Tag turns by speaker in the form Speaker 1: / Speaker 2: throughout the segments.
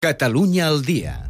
Speaker 1: Catalunya al dia.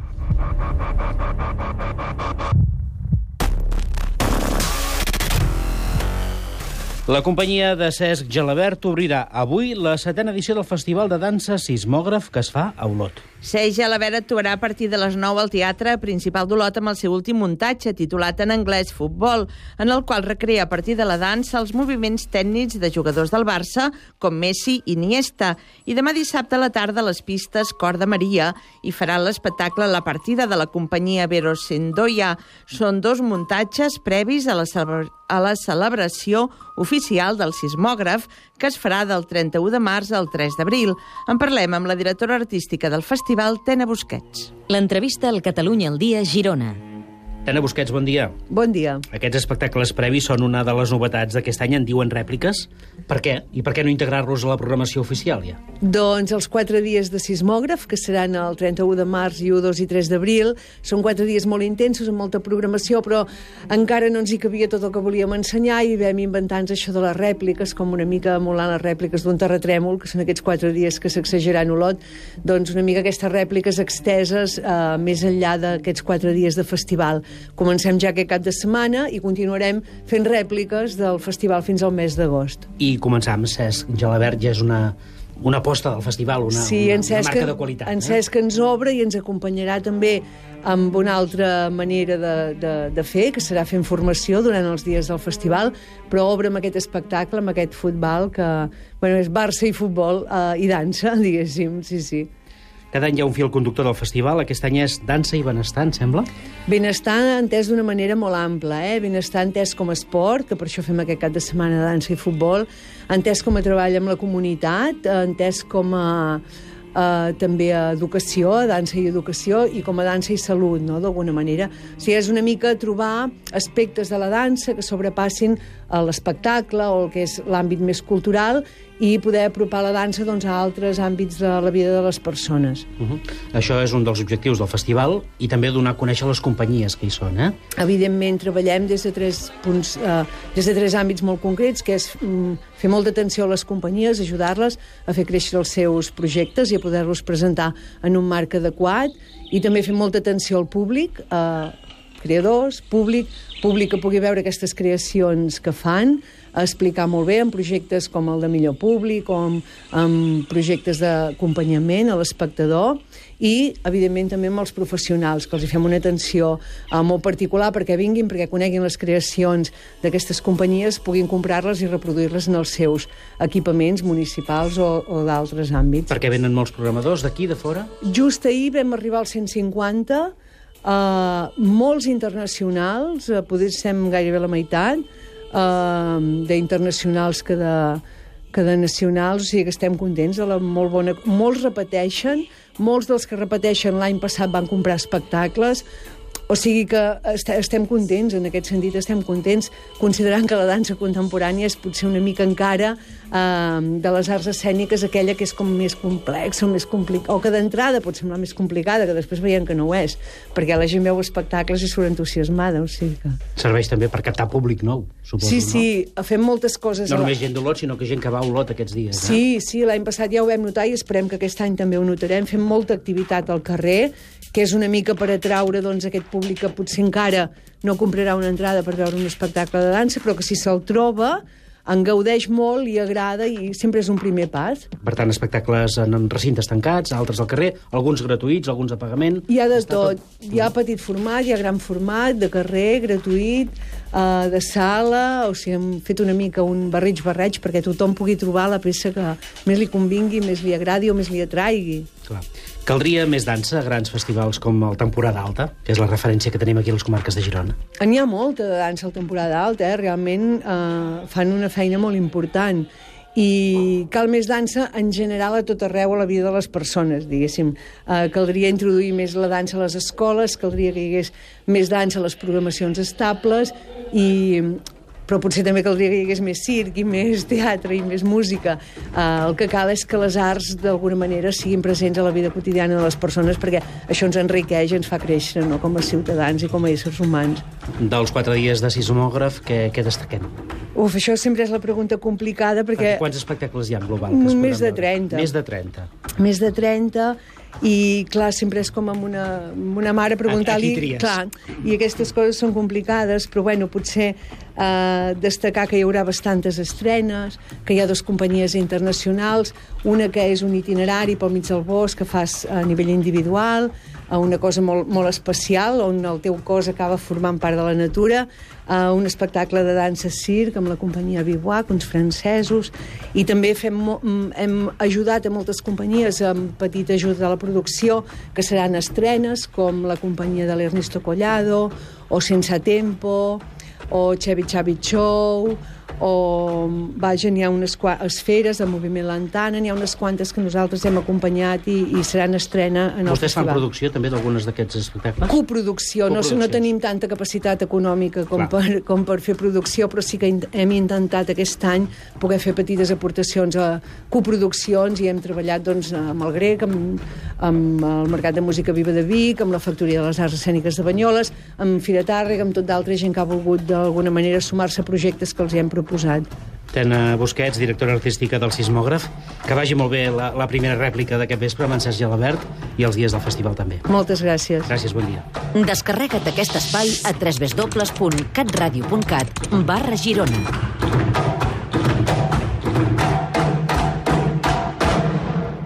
Speaker 2: La companyia de Cesc Gelabert obrirà avui la 7a edició del Festival de Dansa Sismògraf que es fa a Olot.
Speaker 3: Cesc Gelabert actuarà a partir de les 9 al Teatre Principal d'Olot amb el seu últim muntatge, titulat en anglès Futbol, en el qual recrea a partir de la dansa els moviments tècnics de jugadors del Barça, com Messi i Iniesta. I demà dissabte a la tarda a les pistes Cor de Maria i farà l'espectacle La partida de la companyia Verosendoia. Són dos muntatges previs a la celebració oficial del sismògraf que es farà del 31 de març al 3 d'abril. En parlem amb la directora artística del festival, Tena Busquets.
Speaker 4: L'entrevista al Catalunya al dia, Girona.
Speaker 2: Tena Busquets, bon dia.
Speaker 3: Bon dia.
Speaker 2: Aquests espectacles previs són una de les novetats d'aquest any, en diuen rèpliques. Per què? I per què no integrar-los a la programació oficial, ja?
Speaker 5: Doncs els 4 dies de sismògraf, que seran el 31 de març i 1, 2 i 3 d'abril, són 4 dies molt intensos, amb molta programació, però encara no ens hi cabia tot el que volíem ensenyar i vam inventar-nos això de les rèpliques, com una mica emulant les rèpliques d'un terratrèmol, que són aquests 4 dies que s'exageraran a Olot, doncs una mica aquestes rèpliques exteses més enllà d'aquests 4 dies de festival. Comencem ja aquest cap de setmana i continuarem fent rèpliques del festival fins al mes d'agost.
Speaker 2: I començar amb Cesc Gelabert ja és una aposta del festival, una marca de qualitat.
Speaker 5: En Cesc ens obre i ens acompanyarà també amb una altra manera de fer, que serà fent formació durant els dies del festival, però obre amb aquest espectacle, amb aquest futbol que és Barça i futbol i dansa, diguéssim, sí.
Speaker 2: Cada any hi ha un fil conductor del festival. Aquest any és dansa i benestar, em sembla?
Speaker 5: Benestar entès d'una manera molt ampla, Benestar entès com a esport, que per això fem aquest cap de setmana de dansa i futbol, entès com a treball amb la comunitat, entès com a també a educació, a dansa i educació, i com a dansa i salut, no?, d'alguna manera. O sigui, és una mica trobar aspectes de la dansa que sobrepassin l'espectacle o el que és l'àmbit més cultural i poder apropar la dansa a altres àmbits de la vida de les persones.
Speaker 2: Això és un dels objectius del festival i també donar a conèixer les companyies que hi són,
Speaker 5: Evidentment, treballem des de 3 àmbits molt concrets, que és fer molta atenció a les companyies, ajudar-les a fer créixer els seus projectes i a poder-los presentar en un marc adequat, i també fer molta atenció al públic, creadors, públic que pugui veure aquestes creacions que fan, a explicar molt bé en projectes com el de millor públic, com en projectes d'acompanyament a l'espectador, i, evidentment, també amb els professionals, que els hi fem una atenció molt particular perquè vinguin, perquè coneguin les creacions d'aquestes companyies, puguin comprar-les i reproduir-les en els seus equipaments municipals o d'altres àmbits.
Speaker 2: Perquè venen molts programadors d'aquí, de fora?
Speaker 5: Just ahir vam arribar als 150, molts internacionals, potser estem gairebé la meitat, d'internacionals que de nacionals, o sigui que estem contents de la molt bona. Molts repeteixen, molts dels que repeteixen l'any passat van comprar espectacles, o sigui que estem contents, en aquest sentit estem contents, considerant que la dansa contemporània és potser una mica encara de les arts escèniques aquella que és com més complexa, més complicada, o que d'entrada pot semblar més complicada, que després veiem que no ho és, perquè la gent veu espectacles i surt entusiasmada, o sigui que...
Speaker 2: Serveix també per captar públic nou, suposo, no?
Speaker 5: Sí, fem moltes coses...
Speaker 2: No només gent d'Olot, sinó que gent que va a Olot aquests dies,
Speaker 5: Sí, l'any passat ja ho vam notar i esperem que aquest any també ho notarem. Fem molta activitat al carrer, que és una mica per atraure aquest públic que potser encara no comprarà una entrada per veure un espectacle de dansa, però que si se'l troba en gaudeix molt, li agrada i sempre és un primer pas.
Speaker 2: Per tant, espectacles en recintes tancats, altres al carrer, alguns gratuïts, alguns a pagament...
Speaker 5: Hi ha de tot. Hi ha petit format, hi ha gran format, de carrer, gratuït, de sala, o sigui, hem fet una mica un barreig perquè tothom pugui trobar la peça que més li convingui, més li agradi o més li atraigui.
Speaker 2: Clar. Caldria més dansa a grans festivals com el Temporada Alta, que és la referència que tenim aquí a les comarques de Girona.
Speaker 5: N'hi ha molta de dansa al Temporada Alta, realment fan una feina molt important. I cal més dansa en general a tot arreu a la vida de les persones, diguéssim. Caldria introduir més la dansa a les escoles, caldria que hi hagués més dansa a les programacions estables, però potser també caldria que hi hagués més circ i més teatre i més música. El que cal és que les arts d'alguna manera siguin presents a la vida quotidiana de les persones, perquè això ens enriqueix i ens fa créixer, no?, com a ciutadans i com a éssers humans.
Speaker 2: Dels 4 dies de sismògraf, què destaquem?
Speaker 5: Això sempre és la pregunta complicada, perquè...
Speaker 2: Quants espectacles hi ha en global?
Speaker 5: Més de 30.
Speaker 2: Més de 30.
Speaker 5: Més de 30, I, clar, sempre és com amb una mare preguntar-li... Clar, i aquestes coses són complicades, però, bueno, potser destacar que hi haurà bastantes estrenes, que hi ha 2 companyies internacionals, una que és un itinerari pel mig del bosc que fas a nivell individual, una cosa molt especial, on el teu cos acaba formant part de la natura, un espectacle de dansa circ amb la companyia Bivouac, uns francesos, i també hem ajudat a moltes companyies amb petita ajuda de la producció, que seran estrenes, com la companyia de l'Ernesto Collado, o Sense Tempo, o Chevy Chavi Show, o vaja, n'hi ha unes Esferes, de Moviment Lantana, n'hi ha unes quantes que nosaltres hem acompanyat i seran estrena en el festival.
Speaker 2: Vostès fan producció també d'algunes d'aquests espectacles?
Speaker 5: Coproducció, no tenim tanta capacitat econòmica com per fer producció, però sí que hem intentat aquest any poder fer petites aportacions a coproduccions i hem treballat doncs, amb el Grec, amb el Mercat de Música Viva de Vic, amb la Factoria de les Arts Escèniques de Banyoles, amb Fira Tàrrega, amb tot d'altra gent que ha volgut d'alguna manera sumar-se a projectes que els hi hem proposat.
Speaker 2: Tena Busquets, directora artística del Sismògraf. Que vagi molt bé la primera rèplica d'aquest vespre amb en Cesc Gelabert i els dies del festival també.
Speaker 5: Moltes gràcies.
Speaker 2: Gràcies, bon dia.
Speaker 4: Descarrega't aquest espai a www.catradio.cat/Girona.